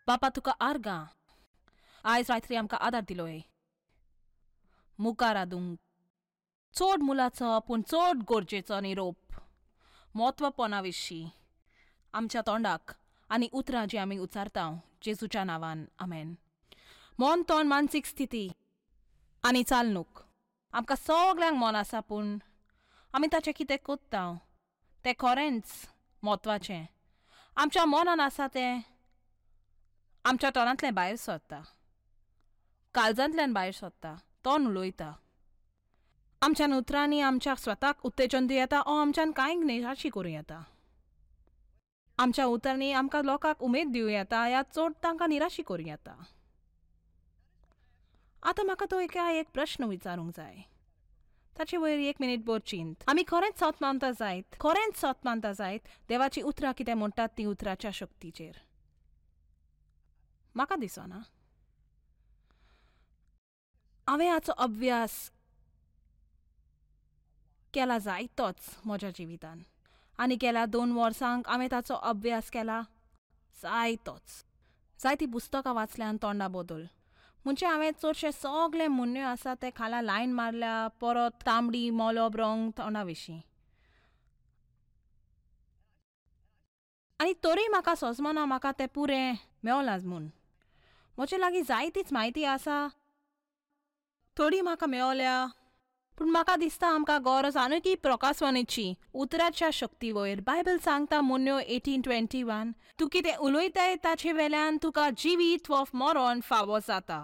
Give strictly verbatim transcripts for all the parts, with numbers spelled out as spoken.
बापा तुका आर्गां आयज रात्री आमकां आदार दिलोय मुखार आदूंक चड मुलाचो पूण चड गरजेचो निरोप म्हत्वपणा विशीं आमच्या तोंडाक आनी उतरां जी आमी उच्चारता जेजूच्या नांवान आमेन. मन तोंड मानसीक स्थिती आनी चालणूक आमकां सगल्यांक मन आसा पूण आमी ताचें कितें कोत्ता तें खरेंच म्हत्वाचें. आमच्या मनान आसा तें आमच्या तोंडांतल्यान भायर सरता, काळजांतल्यान भायर सरता, तोंड उलयता. आमच्यान उतरांनी आमच्या स्वताक उत्तेजन दिवं येता ओ आमच्यान कांय निराशी करूं येता. आमच्या उतरांनी आमकां लोकांक उमेद दिवं येता या चड तांकां निराशी करूं येता. आतां म्हाका तो एका एक प्रश्न विचारूंक जाय, ताचे वयर एक मिनीट भर चिंत. आमी खरेंच सत मानता जायत, खरेंच सत मानता जायत देवाची उतरां कितें म्हणटात ती उतराच्या शक्तीचेर? म्हाका दिसना. हांवें हाचो अभ्यास केला जायतोच म्हज्या जिवितान आनी गेल्या दोन वर्सांक हांवें ताचो अभ्यास केला जायतोच. जायतीं पुस्तकां वाचल्यान तोंडा बदल म्हणजे हांवें चडशे सगळे म्हणण्यो आसा ते खाला लायन मारल्या, परत तांबडी मॉलब रंग तोंडा विशीं. आनी तरी म्हाका सोजमना म्हाका तें पुरें मेवलां म्हूण. म्हजे लागीं जायतीच म्हायती आसा, थोडी म्हाका मेवल्या, पूण म्हाका दिसता आमकां गरज आनीकय प्रकाशवाणीची उतराच्या शक्ती वयर. बायबल सांगता म्हणण्यो एटीन ट्वेंटी वन, तूं कितें उलयताय ताचे वेल्यान तुका जिवीत वा मरण फावो जाता.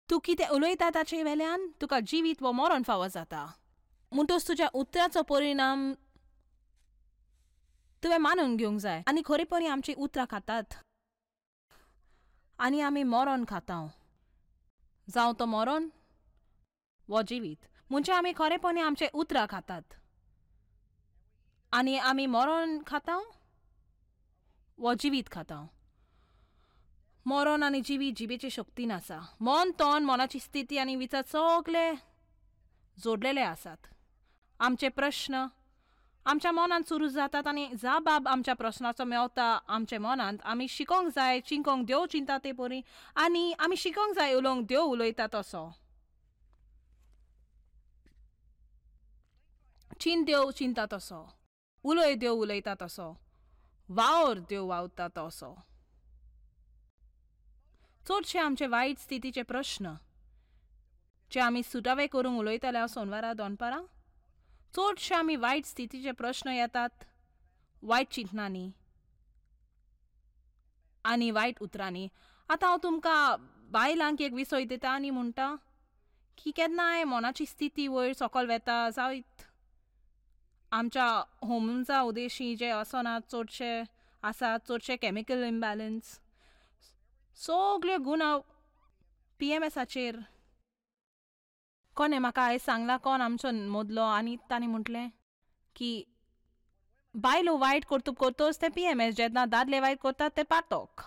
तूं कितें उलयता ताचे वेल्यान तुका जिवीत वा मरण फावो जाता. म्हणटच तुज्या उतराचो परिणाम तुवें मानून घेवंक जाय. आनी खरेपणी आमचीं उतरां खातात आनी आमी मरण खाता, जावं तो मरण वो जिवीत. म्हणजे आमी खरेपणी आमचे उतरां खातात आनी आमी मरण खाता वो जिवीत खाता. मरण आनी जिवीत जिबेची शक्तीन आसा. मन तोंड मनाची स्थिती आनी विचार सगळे जोडलेले आसात. आमचे प्रश्न आमच्या मनांत सुरू जातात आनी जाबाब आमच्या प्रश्नाचो मेवता आमच्या मनांत. आमी शिकोंक जाय चिंकोंक देव चिंता ते परी आनी आमी शिकोंक जाय उलोवंक देव उलयता तसो. चिंत देव चिंता तसो, उलय देव उलयता तसो, वावर देव वावता तसो. चडशे आमचे वायट स्थितीचे प्रश्न जे आमी सुटावे करूंक उलयताले सोनवारा दनपारां, चडशे आमी वायट स्थितीचे प्रश्न येतात वायट चिंतनांनी आनी वायट उतरांनी. आतां हांव तुमकां बायलांक एक विसय दिता आनी म्हणटा की केन्नाय मनाची स्थिती वयर सकयल वेता जायत आमच्या होर्मोन्सा उदेशी जे आसना चडशे आसा, चडशे केमिकल इम्बॅलन्स सगल्यो गुणां पी एम एसाचेर. कोणें म्हाका आयज सांगलां, कोण आमचो मदलो, आनी तांणी म्हटलें की बायलो वायट कर्तुब करतच तें पी एम एस, जेन्ना दादले वायट करतात तें पातक.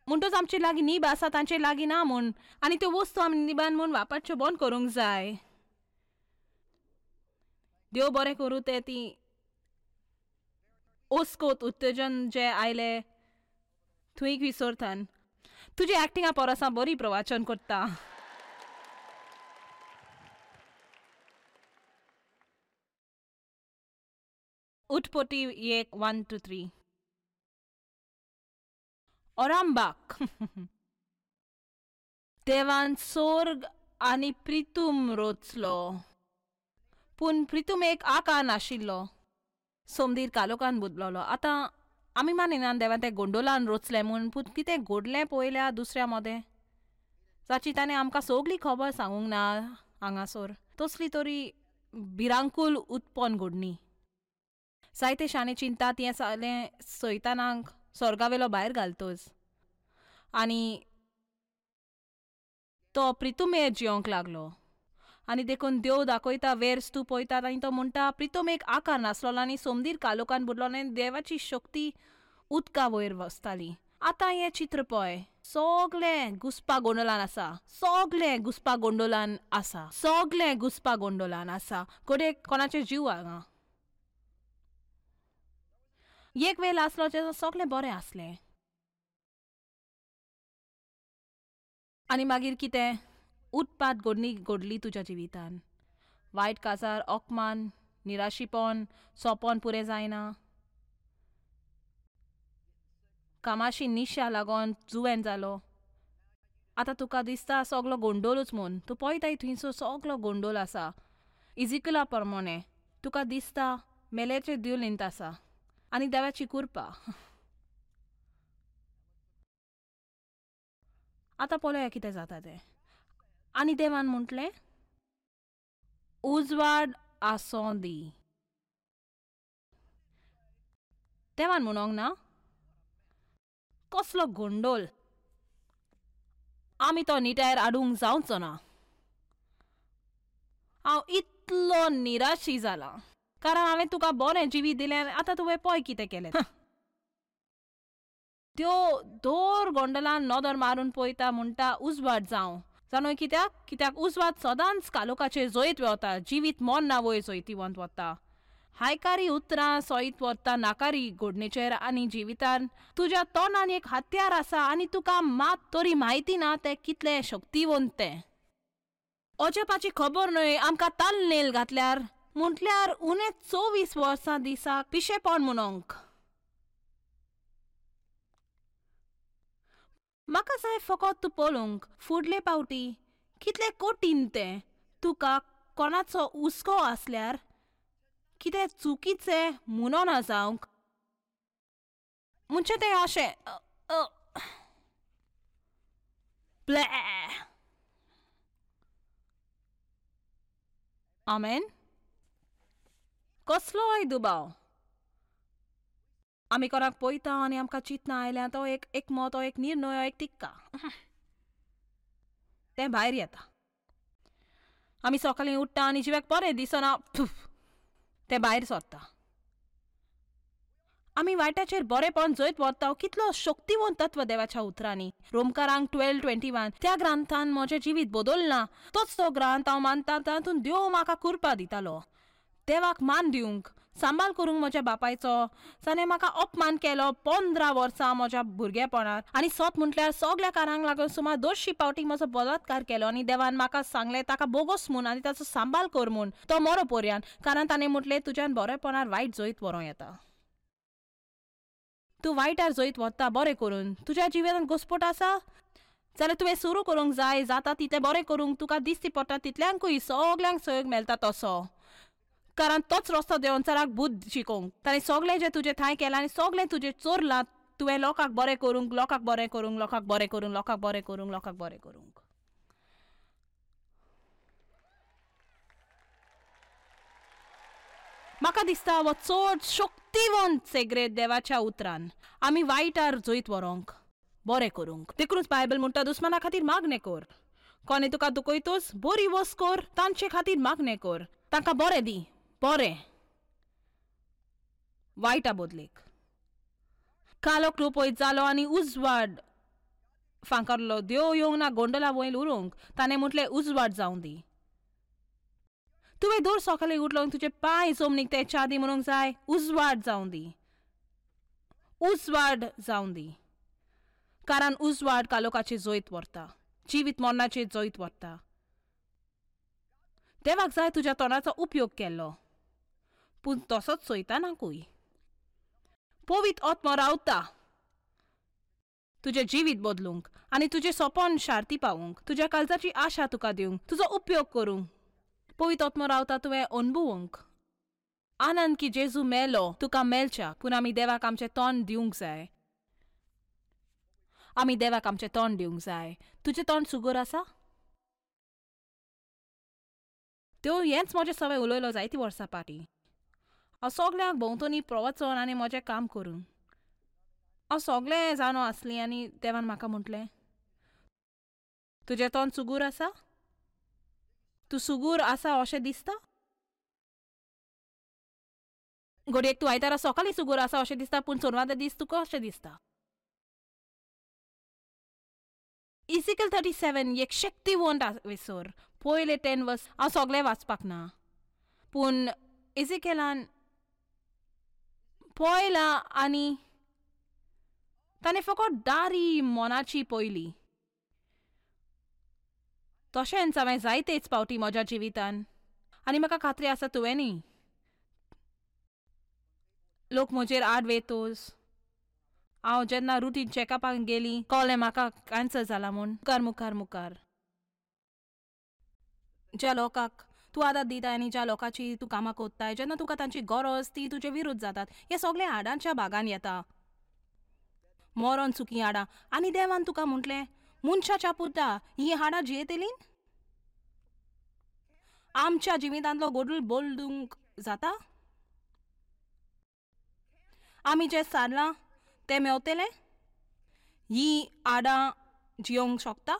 म्हणटच आमचे लागीं नीब आसा तांचे लागीं ना म्हूण, आनी त्यो वस्तू आमी निबान म्हूण वापरच्यो बंद करूंक जाय. देव बरें करूं तें ती ओस्कोत उत्तेजन जे आयले थंय विसरतान. तुजी एक्टिंगा परस हांव बरी प्रवाचन करता. उटपटी एक वन टू थ्री. ओरांबाक देवान सोर्ग आनी प्रितूम रोचलो, पूण प्रितूम एक आकार नाशिल्लो, सोमदीर कालोकान बदललो. आतां आमी मानिना देवान तें गोंडोलान रोचलें म्हूण, पूण कितें घडलें पळयल्या दुसऱ्या मदें जाची ताणें आमकां सगली खबर सांगूंक ना हांगासर. तसली तरी भिरांकूल उत्पन्न घडणी. जायते शाणे चिंतात हें सगळें सैतानाक स्वर्गावेलो भायर घालतच आनी तो प्रितुमेर जियोंक लागलो. आनी देखून देव दाखयता वेर स्तूप पळयतात आनी तो म्हणटा प्रितूम एक आकार नासलो आनी सोमदीर कालोकान बुडलो आनी देवाची शक्ती उदका वयर वसताली. आतां हें चित्र पळय, सगळें घुसपा गोंडोलान आसा, सगळें घुसपा गोंडोलान आसा, सगळें घुसपा गोंडोलान आसा. घडये कोणाचे जीव हांगा. एक वेळ आसलो जेन्ना सगळें बरें आसलें. आनी मागीर कितें उत्पात घडणी घडली तुज्या जिवितान. वायट काजार, अपमान, निराशीपण, सोंपण पुरें जायना, कामाशी निशा लागून जुवेन जालो. आतां तुका दिसता सगलो गोंडोलूच म्हूण. तूं पळयताय थंयसर सगलो गोंडोल आसा. इजिकला प्रमाणे तुका दिसता मेल्याचे देवलींत आसा आनी देवाची कृपा. आतां पळोवया कितें जाता तें. आनी देवान म्हटलें उजवाड आसूं दी. देवान म्हणोंक ना कसलो गोंडोल, आमी तो निटायर हाडूंक जावचो ना. हांव इतलो निराशी जाला कारण हांवें तुका बरें जिवीत दिलें आनी आतां तुवें पळय कितें केलें. त्यो दोर गोंडलान नदर मारून पळयता म्हणटा उजवाड जावं. जाणूय कित्याक? कित्याक उजवाड सदांच कालोखाचेर जैत वता, जिवीत मरना वयर जैतिवंत वता. हायकारी उतरां सयत वता नाकारी घडणेचेर आनी जिवितान तुज्या तोंडान एक हत्यार आसा आनी तुका मात तरी म्हायती ना तें कितलें शक्तिवंत तें. अजापाची खबर न्हय आमकां तालनेल घातल्यार म्हटल्यार उणे चोवीस वर्सां दिसाक पिशेपण म्हणोंक. म्हाका जाय फकत तूं पळोवंक फुडले पावटी कितलें कठीण तें. तुका कोणाचो हुस्को आसल्यार कितें चुकीचें म्हणना जावंक म्हणजे तें अशें ब्लॅ. आमेन. कसलोय दुबाव आमी कोणाक पळयता आनी आमकां चिंतना आयल्या तो एक एकमत, तो एक निर्णय, एक तिक्का तें भायर येता. आमी सकाळीं उठ्ठा आनी जिवाक बरें दिसना तें भायर सरता. आमी वायटाचेर बरेंपण जैत व्हरता. कितलो शक्तिवंत तत्व देवाच्या उतरांनी. रोमकारांक ट्वेल्व ट्वेंटी वन त्या ग्रंथान म्हजें जिवीत बदलना. तोच तो ग्रंथ हांव मानता तातूंत देव म्हाका कृपा दितालो देवाक मान दिवंक, सांबाळ करूंक म्हज्या बापायचो जाणें म्हाका अपमान केलो पंदरा वर्सां म्हज्या भुरगेपणार. आनी सत म्हटल्यार सगळ्या कारांक लागून सुमार दोनशी पावटी म्हजो बलात्कार केलो आनी देवान म्हाका सांगलें ताका बोगोस म्हूण आनी ताचो सांबाळ कर म्हूण तो मरो पर्यान. कारण ताणें म्हटलें तुज्यान बरेपणार वायट जैत व्हरूं येता. तूं वायटार जैत व्हरता बरें करून. तुज्या जिवितांत घुस्पट आसा जाल्यार तुवें सुरू करूंक जाय. जाता तितलें बरें करूंक तुका दिसती पडटा तितल्यांकूय सगल्यांक सहयोग मेळटा तसो. कारण तोच रस्तो देवचाराक बुद्द शिकोवंक. ताणें सगळें जें तुजें थांय केलां आनी सगळें तुजें चोरलां तुवें लोकांक बरें करूंक, लोकांक बरें करूंक, लोकांक बरें करूंक, लोकांक बरें करूंक, लोकांक बरें करूंक. म्हाका दिसता हो चड शक्तिवंत सेग्रेद देवाच्या उतरान आमी वायटार जैत व्हरूंक, बरें करूंक. देखूनच बायबल म्हणटा दुस्माना खातीर मागणें कर. कोणें तुका दुखयतोच बरी वस कर, तांचे खातीर मागणें कर, तांकां बरें दी, बरें वायटा बदलेक. कालोख रुपयत जालो आनी उजवाड फांकारलो. देव येवंक ना गोंडला वयर उरोवंक, ताणें म्हटलें उजवाड जावं दी. तुवें दर सकाळीं उठलो तुजे पांय जमनीक ते च्या दी म्हणूंक जाय उजवाड जावं दी, उजवाड जावं दी. कारण उजवाड कालोखाचेर जैत व्हरता, जिवीत मरणाचेर जैत व्हरता. देवाक जाय तुज्या तोंडाचो उपयोग केल्लो, पूण तसोच चोयतानाकूय पवित्र आत्मो रावता तुजें जिवीत बदलूंक आनी तुजें सपन शार्ती पावूंक, तुज्या काळजाची आशा तुका दिवंक, तुजो उपयोग करूंक. पवित्र आत्मो रावता तुवें अनुभवूंक आनंद की जेजू मेलो तुका मेळच्या. पूण आमी देवाक आमचें तोंड दिवंक जाय. आमी देवाक आमचें तोंड दिवंक जाय. तुजें तोंड सुगूर आसा? त्यो हेंच म्हजें सवय उलयलो जायतीं वर्सां फाटीं. हांव सगल्यांक भोंवतणी प्रवचन आनी म्हजें काम करून हांव सगळें जाणो आसलीं आनी देवान म्हाका म्हटलें तुजें तोंड सुगूर आसा? तूं सुगूर आसा अशें दिसता? घडयेक तूं आयतारा सकाळीं सुगूर आसा अशें दिसता, पूण सोनवार दीस तुका अशें दिसता. इजिकल थर्टी सेवन एक शक्तिवंत विसर. पयले टेन वर्स हांव सगळें वाचपाक ना, पूण इजिकेलान पळयलां आनी ताणें फकत दारी मनाची पयली. तशेंच हांवें जायतेच पावटी म्हज्या जिवितान, आनी म्हाका खात्री आसा तुवेंनी. लोक म्हजेर आड वेतोस. हांव जेन्ना रुटीन चॅकअपाक गेली कळ्ळें म्हाका कॅन्सर जाला म्हूण. मुखार मुखार मुखार ज्या लोकांक तूं आदार दिताय आनी ज्या लोकांची तूं कामां कोत्ताय, जेन्ना तुका तांची गरज ती तुजे विरुद्ध जातात. हें सगळें हाडांच्या भागान येता. मरोन सुकी हाडां. आनी देवान तुका म्हटलें, मनशाच्या पुता, हीं हाडां जियेतलीं? आमच्या जिवितांतलो गोडूल बदलूंक जाता? आमी जें सारलां तें मेवतलें? हीं हाडां जियोंक शकता?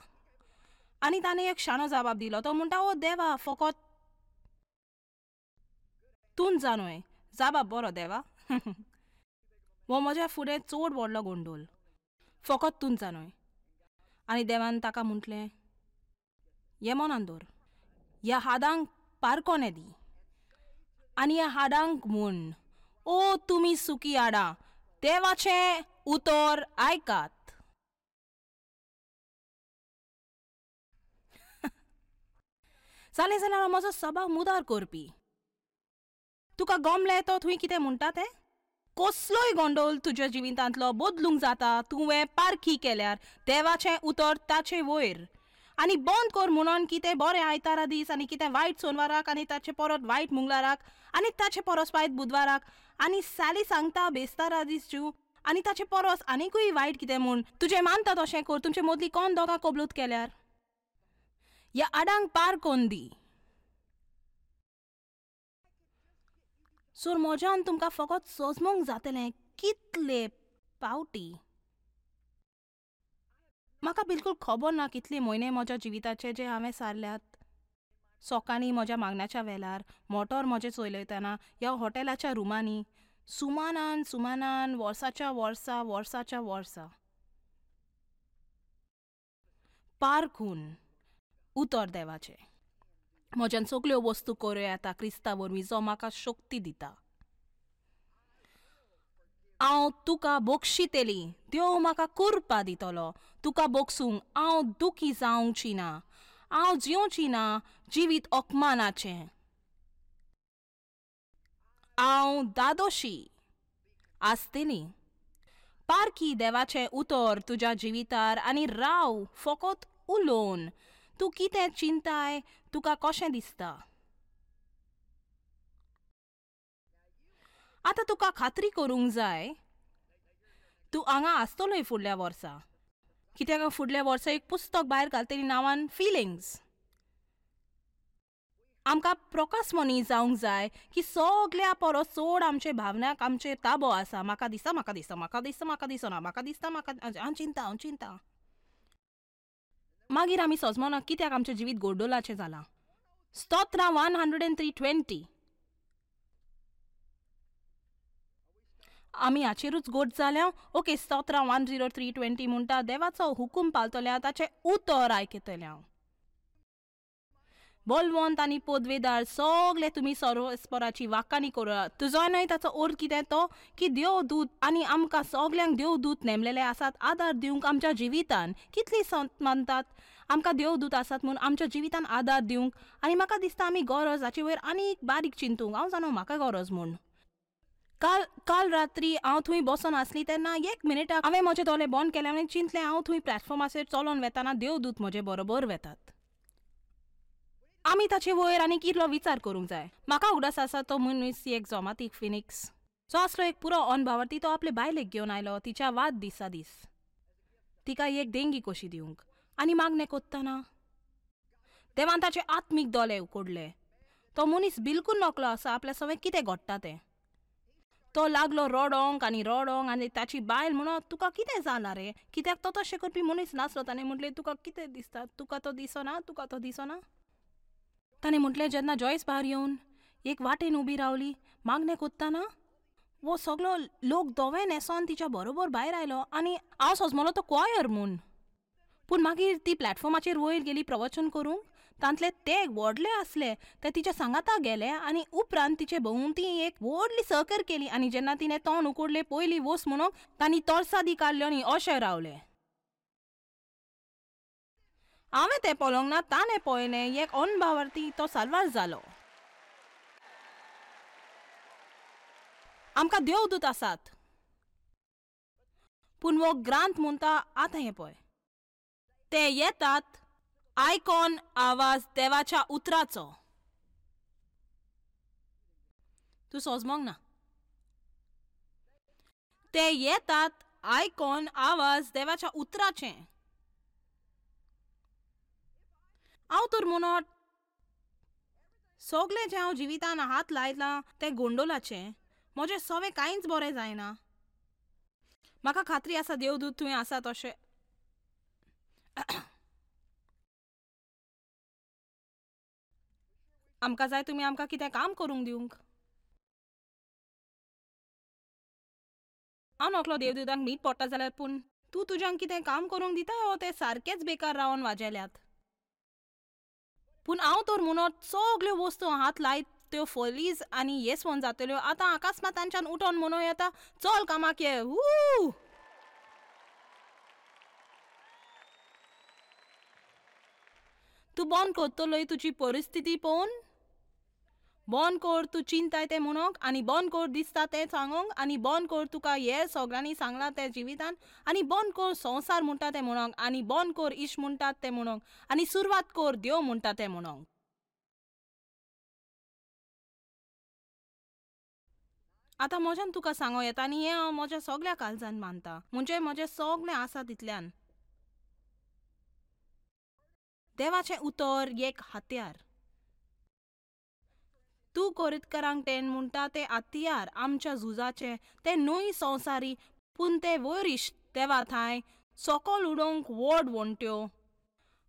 आनी ताणें एक शाणो जबाब दिलो. तो म्हणटा, ओ देवा, फकत तूंच जाणूय. जबाब बरो देवा. हो म्हज्या फुडें चड व्हडलो गोंडोल. फकत तूंच जाणूय. आनी देवान ताका म्हटलें, हें मनान दवर, ह्या हाडांक पारकोने दी आनी ह्या हाडांक म्हूण, ओ तुमी सुकी हाडां, देवाचें उतर आयकात. जालें जाल्यार म्हजो सभाव मुदार करपी. तुका गमलें तो थंय कितें म्हणटा तें? कसलोय गोंडोल तुज्या जिवितांतलो बदलूंक जाता तुवें पारखी केल्यार देवाचें उतर ताचे वयर. आनी बंद कर म्हणून कितें बरें आयतारा दीस आनी कितें वायट सोनवाराक आनी ताचे परत वायट मंगळाराक आनी ताचे परस वायट बुधवाराक आनी साली सांगता बेस्तारा दीस जू आनी ताचे परस आनीकूय वायट कितें म्हूण. तुजें मानता तशें कर. तुमचे मदली कोण दोगां कबलूत केल्यार ह्या आडांक पार कोन दी. सो म्हज्यान तुमकां फकत सोजमूंक जातलें कितले पावटी. म्हाका बिलकूल खबर ना कितले म्हयने म्हज्या जिविताचे जे हांवें सारल्यात. सकाळीं म्हज्या मागण्याच्या वेळार मोटर म्हजें चलयतना ह्या हॉटेलाच्या रुमांनी सुमानान सुमानान वर्साच्या वर्सा वर्साच्या वर्सा पारखून उतर देवाचें. म्हज्यान सगल्यो वस्तू करूं येता क्रिस्ता वरवीं जो म्हाका शक्ती दिता. हांव तुका बक्षितली, देव म्हाका कुरपा दितलो. तुका बक्षूंक हांव दुखी जावची ना. हांव जियोची ना जिवीत अपमानाचें. हांव दादोशी आसतली. पारखी देवाचें उतर तुज्या जिवितार आनी राव फकत उलोवन. तूं कितें चिंताय, तुका कशें दिसता? आतां तुका खात्री करूंक जाय तूं हांगा आसतलोय फुडल्या वर्सा. कित्याक फुडल्या वर्सा एक पुस्तक भायर घालतली नांवान फिलिंग्स. आमकां प्रकाशमनी जावंक जाय की सगल्या परस चड आमचे भावनाक आमचेर ताबो आसा. म्हाका दिसता, म्हाका दिसता, म्हाका दिसता, म्हाका दिसना, म्हाका दिसता, म्हाका हांव चिंता, हांव चिंता. मागीर आमी सजमना कित्याक आमचें जिवीत गोडोलाचें जालां. स्तोत्रां one hundred and three twenty. आमी हाचेरूच गोड जाल्या. ओके, स्तोत्रां वन झिरो थ्री ट्वेंटी म्हणटा, देवाचो हुकूम पाळटल्या ताचें उतर आयकतल्या. बलवंत आनी पदवेदार सगळे तुमी सर्वस्पराची वाकाणी करात. तुजो न्हय ताचो अर्थ कितें तो की देवदूत आनी आमकां सगल्यांक देवदूत नेमलेले आसात आदार दिवंक आमच्या जिवितान. कितली संत मानतात आमकां देवदूत आसात म्हूण आमच्या जिवितान आदार दिवंक. आनी म्हाका दिसता आमी गरज हाचे वयर आनी एक बारीक चिंतूंक. हांव जाणो म्हाका गरज म्हूण. काल काल रात्री हांव थंय बसोन आसली तेन्ना एक मिनिटाक हांवें म्हजे दोळे बंद केले आनी चिंतलें हांव थंय प्लॅटफॉर्माचेर चलोन वेताना देवदूत म्हजे बरोबर वेतात. आमी ताचे वयर आनी कितलो विचार करूंक जाय. म्हाका उगडास आसा तो मनीस एक जोमातीक फिनिक्स जो आसलो एक पुरो अनभावार्थी. तो आपले बायलेक घेवन आयलो तिच्या वाद दिसा दीस तिका एक देंगी कशी दिवंक आनी मागणें कोत्तना देवान ताचे आत्मीक दोळे उकडले. तो मनीस बिलकूल नकलो आसा आपल्या सवें कितें घडटा तें. तो लागलो रडोंक आनी रडोंक आनी ताची बायल म्हणत, तुका कितें जालां रे? कित्याक तो तशें करपी मनीस नासलो. ताणें म्हटलें, तुका कितें दिसता? तुका तो दिसना, तुका तो दिसना. ताणें म्हटलें, जेन्ना जॉयस भायर येवन एक वाटेन उबी रावली मागणें कोत्तना वो सगलो लोक दोवे न्हेसोन तिच्या बरोबर भायर आयलो आनी हांव सजमलो तो क्वायर म्हूण. पूण मागीर ती प्लॅटफॉर्माचेर वयर गेली प्रवचन करूंक. तांतले ते व्हडले आसले ते तिच्या सांगाता गेले आनी उपरांत तिचे भोंवती एक व्हडली सकर केली आनी जेन्ना तिणें तोंड उकडले पयली वोस म्हणून तांणी तोरसादी काडल्यो आनी अशें रावले. हांवें तें पळोवंक ना, ताणें पळयलें. एक अनभावार्थी तो साल्वार जालो. आमकां देवदूत आसात, पूण हो ग्रांथ म्हणटा आतां हें पळय, ते येतात आयकॉन आवाज देवाच्या उतराचो. तूं सोजमोंक ना. ते येतात आयकॉन आवाज देवाच्या उतराचें. हांव तर म्हणत सगळें जें हांव जिवितान हात लायलां तें गोंडोलाचें. म्हजें सवें कांयच बरें जायना. म्हाका खात्री आसा देवदूत तुवें आसा तशें. आमकां जाय तुमी आमकां कितें काम करूंक दिवंक. हांव नकलो देवदूतांक मीठ पडटा जाल्यार, पूण तूं तुज्यांक कितें काम करूंक दिता हो ते सारकेच बेकार रावन वाजेल्यात. पूण हांव तर म्हणत सगल्यो वस्तू हात लायत त्यो फलीज आनी येसवण जातल्यो. आतां अकस्मात तांच्यान उठोन म्हणूं येता चल कामाक ये. वू तूं बंद करतलोय तुजी परिस्थिती पळोवन, बंद कर तूं चिंताय तें म्हणूंक, आनी बंद कर दिसता तें सांगूंक, आनी बंद कर तुका हे सगळ्यांनी सांगलां तें जिवितान, आनी बंद कर संवसार म्हणटा तें म्हणूंक, आनी बंद कर इश्ट म्हणटात तें म्हणूंक, आनी सुरवात कर देव म्हणटा तें म्हणूंक. आतां म्हज्यान तुका सांगूं येता आनी हें हांव म्हज्या सगळ्या काळजान मानता, म्हणजे म्हजें सगळें आसा तितल्यान. देवाचें उतर एक हत्यार. तूं कोरितकरांक तें म्हणटा तें हत्यार आमच्या झुजाचें, तें न्हय संवसारी, पूण तें वरिश्ठ देवा थांय सकल उडोवंक व्हड वण्ट्यो.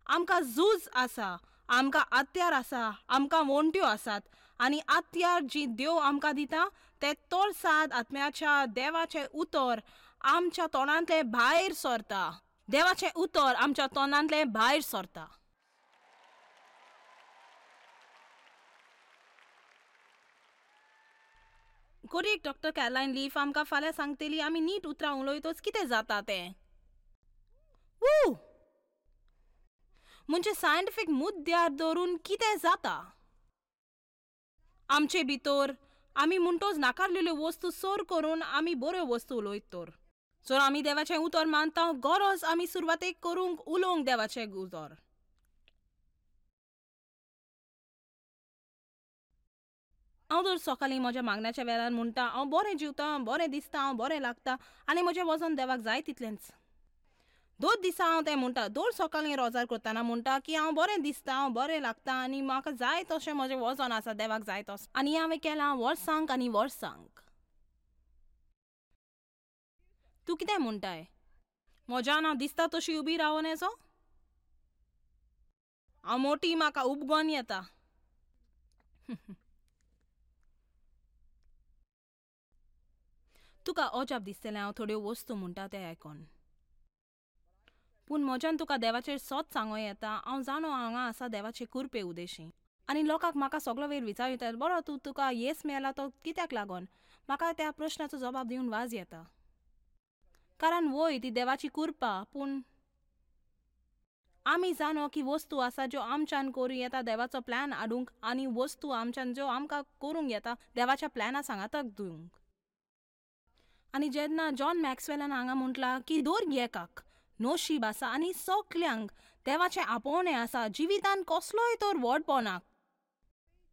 आमकां झूज आसा, आमकां हत्यार आसा, आमकां वण्ट्यो आसात, आनी हत्यार जी देव आमकां दिता तें तोरसाद आत्म्याच्या देवाचें उतर आमच्या तोंडांतलें भायर सरता. देवाचें उतर आमच्या तोंडांतलें भायर सरता. कोरेक डॉक्टर कॅरलायन लीफ आमकां फाल्यां सांगतली आमी नीट उतरां उलयतच कितें जाता तें. वू म्हणजे सायंटिफीक मुद्द्यार धरून कितें जाता आमचे भितर. आमी म्हणटोच नाकारलेल्यो वस्तू सर करून आमी बऱ्यो वस्तू उलयत तर. जर आमी देवाचें उतर मानता, गरज आमी सुरवातेक करूंक उलोवंक देवाचें उतर. हांव दर सकाळीं म्हज्या मागण्याच्या वेळार म्हणटा हांव बरें जिवता, बरें दिसता, हांव बरें लागता आनी म्हजें वजन देवाक जाय तितलेंच. दर दिसा हांव तें म्हणटा, दर सकाळीं रोजार करतना म्हणटा की हांव बरें दिसता, हांव बरें लागता आनी म्हाका जाय तशें म्हजें वजन आसा, देवाक जाय तशें. आनी हांवें केलां वर्सांक आनी वर्सांक. तूं कितें म्हणटाय? म्हज्यान हांव दिसता तशी उबी रावून येचो? हांव मोटी, म्हाका उबगोन येता. तुका अजाप दिसतलें हांव थोड्यो वस्तू म्हणटा तें आयकोन, पूण म्हज्यान तुका देवाचेर सत सांगूं येता. हांव जाणो हांगा आसा देवाचे कुरपे उदेशी, आनी लोकांक म्हाका सगलो वेळ विचार बरो तूं तुका येस मेळ्ळा तो कित्याक लागून? म्हाका त्या प्रश्नाचो जबाब दिवन वाज येता, कारण वय ती देवाची कुरपा. पूण आमी जाणो की वस्तू आसा ज्यो आमच्यान करूं येता देवाचो प्लॅन हाडूंक, आनी वस्तू आमच्यान ज्यो आमकां करूंक येता देवाच्या प्लॅना सांगाताक दिवंक. आनी जेन्ना जॉन मॅक्सवेलान हांगा म्हटलां की दर एकाक नशीब आसा आनी सगल्यांक देवाचें आपोवणें आसा जिवितान कसलोय तर व्हडपणाक,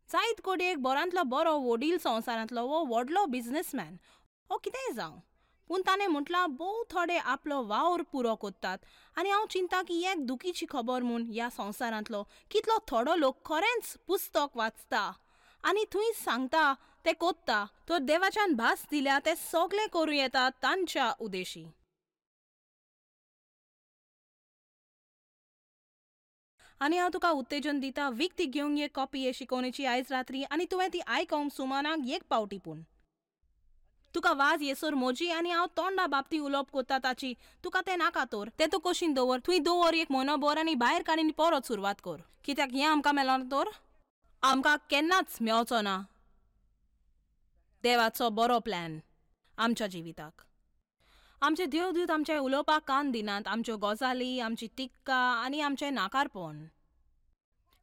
जायत कोडयेक बरांतलो बरो वडील संवसारांतलो वो व्हडलो बिजनसमॅन वो कितेंय जावं, पूण ताणें म्हटलां भोव थोडे आपलो वावर पुरो करतात. आनी हांव चिंता की एक दुखीची खबर म्हूण ह्या संवसारांतलो कितलो थोडो लोक खरेंच पुस्तक वाचता आनी थंय सांगता ते कोत्ता तर देवाच्यान भास दिल्या ते सगळें करूं येता तांच्या उदेशी. आनी हांव तुका उत्तेजन दिता विकती घेवंक एक कॉपी हे शिकोवणेची आयज रात्री, आनी तुवें ती आयकोंक सुमानाक एक पावटी. पूण तुका वाज येसर मोजी आनी हांव तोंडा बाबती उलोवप कोत्ता ताची. तुका तें नाका तर तें तूं कशीन दवर, थंय दवर एक म्हयनो भर आनी भायर काडीन परत सुरवात कर. कित्याक हें आमकां मेळना तर आमकां केन्नाच मेवचो ना देवाचो बरो प्लॅन आमच्या जिविताक. आमचे देवदूत आमचे उलोवपाक कान दिनात, आमच्यो गजाली, आमची टिक्का आनी आमचें नाकारपण.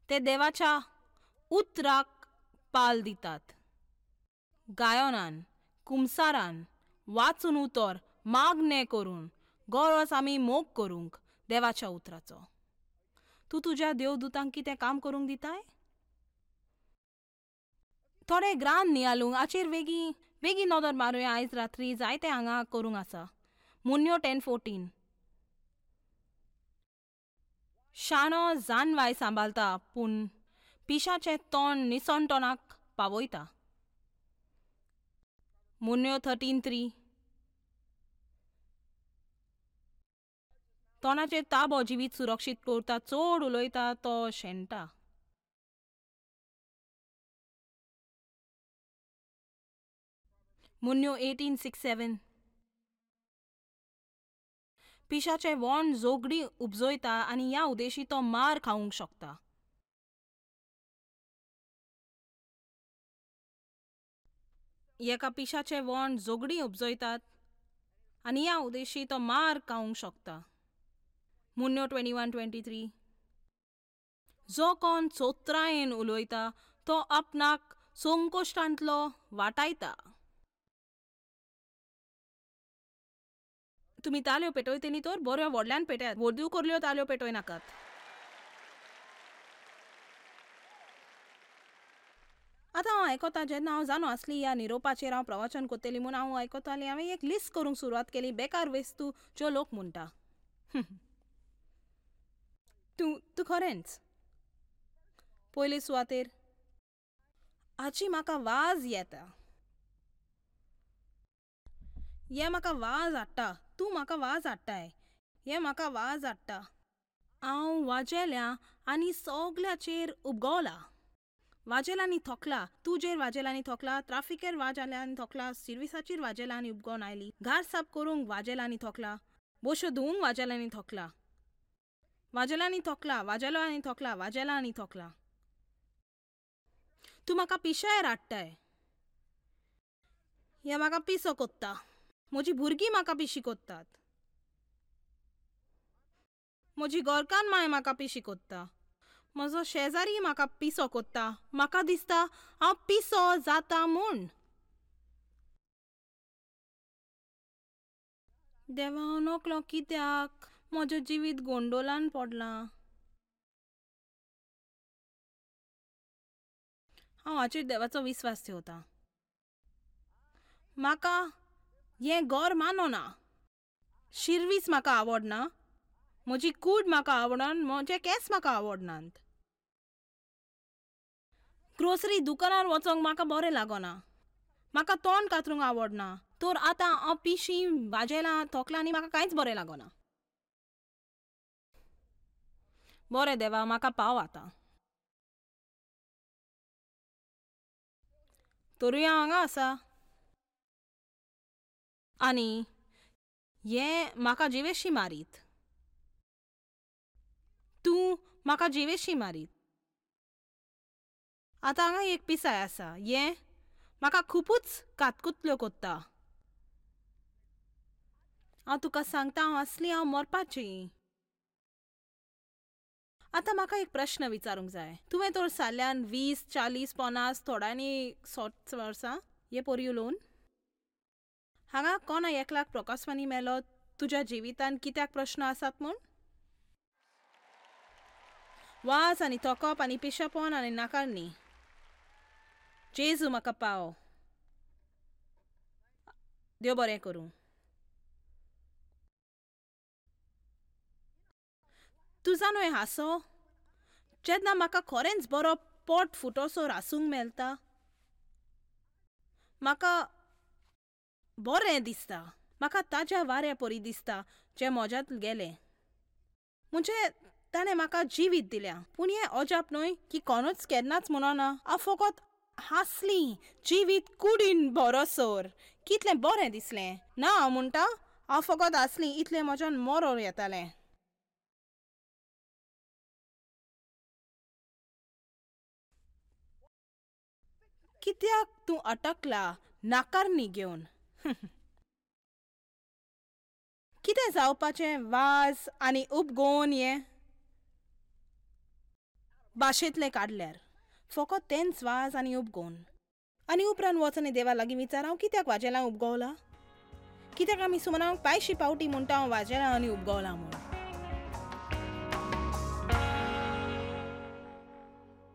ते देवाच्या उतराक पाल दितात. गायनान, कुमसारान, वाचून उतर, मागणें करून, गरज आमी मोग करूंक देवाच्या उतराचो. तूं तुज्या देवदूतांक कितें काम करूंक दिताय? थोडे ग्रान नियालूंक हाचेर वेगीं वेगीं नदर मारुया. आयज रात्री जायते हांगा करूंक आसा. मुन्यो टेन फोर्टीन. शाणो जानवाय सांबाळता पूण पिशाचें तोंड निसणटणाक पावयता. मुन्यो थर्टीन थ्री. तोंडाचेर ताबो जिवीत सुरक्षीत करता, चड उलयता तो शेणटा. मुन्यो एटीन सिक्स सेवन. पिशाचें वोंड जोगडी उपजयता आनी ह्या उदेशी तो मार खावंक शकता. एका पिशाचें वोंड जोगडी उपजयतात आनी ह्या उदेशी तो मार खावंक शकता. मुन्यो ट्वेंटी वन ट्वेंटी थ्री. जो कोण चोत्रायेन उलयता तो आपणाक संकोश्टांतलो वाटायता. तुमी ताल्यो पेटयतली तर बऱ्यो व्हडल्यान पेटयात, व्हडल्यो करल्यो ताल्यो पेटय नाकात. आतां हांव आयकता, जेन्ना हांव जाणो आसली ह्या निरोपाचेर हांव प्रवचन करतली म्हूण हांव आयकतालें. हांवें एक लिस्ट करूंक सुरवात केली बेकार वस्तू ज्यो लोक म्हणटा. तूं तूं खरेंच पयले सुवातेर हाची म्हाका वाज येता. हें म्हाका वाज हाडटा, तूं म्हाका वाज हाडटाय, हें म्हाका वाज हाडटा. हांव वाजेल्या आनी सगल्याचेर उपगवला. वाजेला आनी थोकला, तुजेर वाजेला आनी थोकला, ट्राफिकेर वाजेला आनी थोकला, सिर्विसाचेर वाजेला आनी उपगोवन आयली, घर साफ करूंक वाजेला आनी थोकला, बोश्यो धुवूंक वाजेला आनी थोकला, वाजेला आनी थोकला, वाजेलो आनी थोकला, वाजेला आनी थोकला. तूं म्हाका पिशायर हाडटाय. हें म्हाका पिसो कोत्ता. म्हजी भुरगीं म्हाका पिशी कोत्तात. म्हजी घरकान्न माय म्हाका पिशी कोत्ता. म्हजो शेजारी म्हाका पिसो कोत्ता. म्हाका दिसता हांव पिसो जाता म्हूण. देवा, हांव नकळो कित्याक म्हजें जिवीत गोंडोलान पडलां. हांव हाचेर देवाचो विस्वास ठेवता. म्हाका हें घर मानना. शिरवीस म्हाका आवडना, म्हजी कूड म्हाका आवडना, म्हजे केंस म्हाका आवडनात. ग्रोसरी दुकानार वचोंक म्हाका बरें लागना. म्हाका तोंड कातरूंक आवडना. तर आतां हांव पिशी वाजेलां थोकलां आनी म्हाका कांयच बरें लागना. बरें देवा, म्हाका पाव आतां. तरूय हांव हांगा आसा आनी हें म्हाका जिवेशी मारीत. तूं म्हाका जिवेशी मारीत. आतां हांगा एक पिसाय आसा, हें म्हाका खुबूच कातकुतल्यो कोत्ता. हांव तुका सांगता, हांव आसली हांव मरपाची. आतां म्हाका एक प्रश्न विचारूंक जाय. तुवें तर साल्यान वीस चाळीस पन्नास थोड्यांनी सोठ वर्सां हे पोरी उलोवन हांगा कोणा एकलाक प्रकाशवाणी मेलो तुज्या जिवितान कित्याक प्रश्न आसात म्हूण? वाज आनी थोकप आनी पिशेपण आनी नाकारणी. जेजू म्हाका पाव. देव बरें करूं. तुजा न्हय हांसो जेन्ना म्हाका खरेंच बरो पोट फुटोसो हांसूंक मेळटा, म्हाका बरें दिसता. म्हाका ताज्या वाऱ्या परी दिसता जें म्हज्यांत गेलें. म्हणजे ताणें म्हाका जिवीत दिल्या. पूण हें अजाप न्हय की कोणूच केन्नाच म्हणना हांव फकत हांसली जिवीत कुडीन बरोसर कितलें बरें दिसलें. ना हांव म्हणटा हांव फकत हांसली इतलें म्हज्यान मरोर येतालें. कित्याक तूं अटकला नाकारणी घेवन? कितें जावपाचें वाज आनी उपगोवन हें भाशेंतलें काडल्यार फकत तेंच वाज आनी उपगोवन. आनी उपरांत वच आनी देवा लागीं विचार हांव कित्याक वाजेलां उपगवलां? कित्याक आमी सुमनाक पांयशी पावटी म्हणटा हांव वाजेलां आनी उपगवलां म्हूण?